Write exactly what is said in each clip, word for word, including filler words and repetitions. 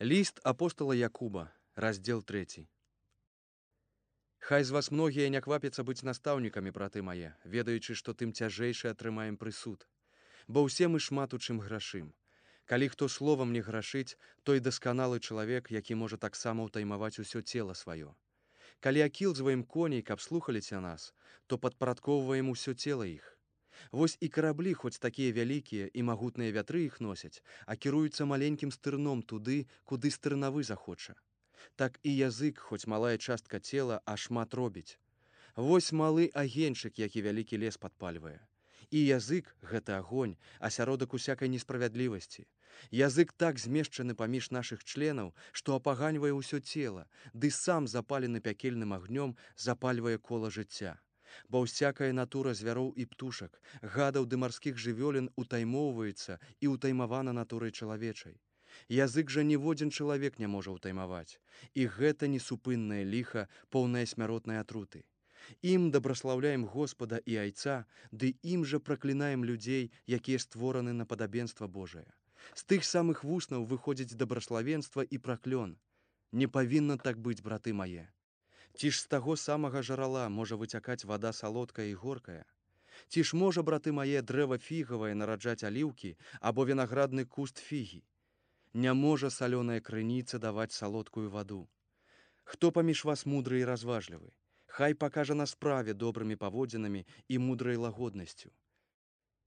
Ліст апостала Якуба, раздзел трэці. Хай з вас многія не квапяцца быць настаўнікамі, браты мае, ведаючы, што тым цяжэйшы атрымаем прысуд. Бо ўсе мы шмат у чым грашым. Калі хто словам не грашыць, той дасканалы чалавек, які можа таксама ўтаймаваць усё цела сваё. Калі акілзваем коней, каб слухаліся нас, то падпарадкоўваем усё цела іх. Вось і караблі, хоць такія вялікія і магутныя вятры іх носяць, а кіруюцца маленькім стырном туды, куды стырнавы захоча. Так і язык, хоць малая частка цела, а шмат робіць. Вось малы агеньчык, які вялікі лес падпальвае. І язык — гэта агонь, асяродак усякай несправядлівасці. Язык так змешчаны паміж нашых членаў, што апаганьвае ўсё цела, ды сам запалены пякельным агнём запальвае кола жыцця. Бо ўсякая натура звяроў і птушак, гадаў ды марскіх жывёлін утаймоўваецца і ўтаймавана натурай чалавечай. Язык жа ніводзін чалавек не можа ўтаймаваць, і гэта несупыннае ліха, поўнае смяротнай атруты. Ім дабраслаўляем Господа і Айца, ды ім жа праклінаем людзей, якія створаны на падабенства Божае. З тых самых вуснаў выходзіць дабраславенства і праклён. Не павінна так быць, браты мае. Ці ж з таго самага жарала можа выцякаць вада салодкая і горкая? Ці ж можа, браты мае, дрэва фігавае нараджаць аліўкі або вінаградны куст фігі? Не можа салёная крыніца даваць салодкую ваду. Хто паміж вас мудры і разважлівы? Хай пакажа на справе добрымі паводзінамі і мудрай лагоднасцю.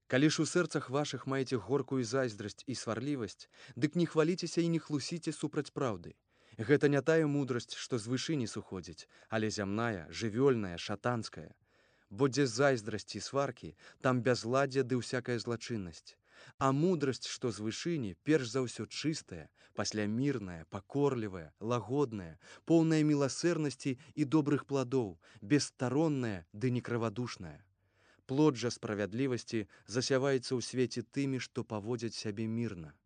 Калі ж у сэрцах вашых маеце горкую зайздрасць і сварлівасць, дык не хваліцеся і не хлусіце супраць праўды. Гэта не тая мудрасць, што з вышыні сыходзіць, але зямная, жывёльная, шатанская. Бо дзе зайздрасць і сваркі, там бязладдзе ды ўсякая злачыннасць. А мудрасць, што з вышыні, перш за ўсё чыстая, пасля мірная, пакорлівая, лагодная, поўная міласэрнасці і добрых пладоў, бесстаронная ды некрывадушная. Плод жа справядлівасці засяваецца ў свеце тымі, што паводзяць сябе мірна.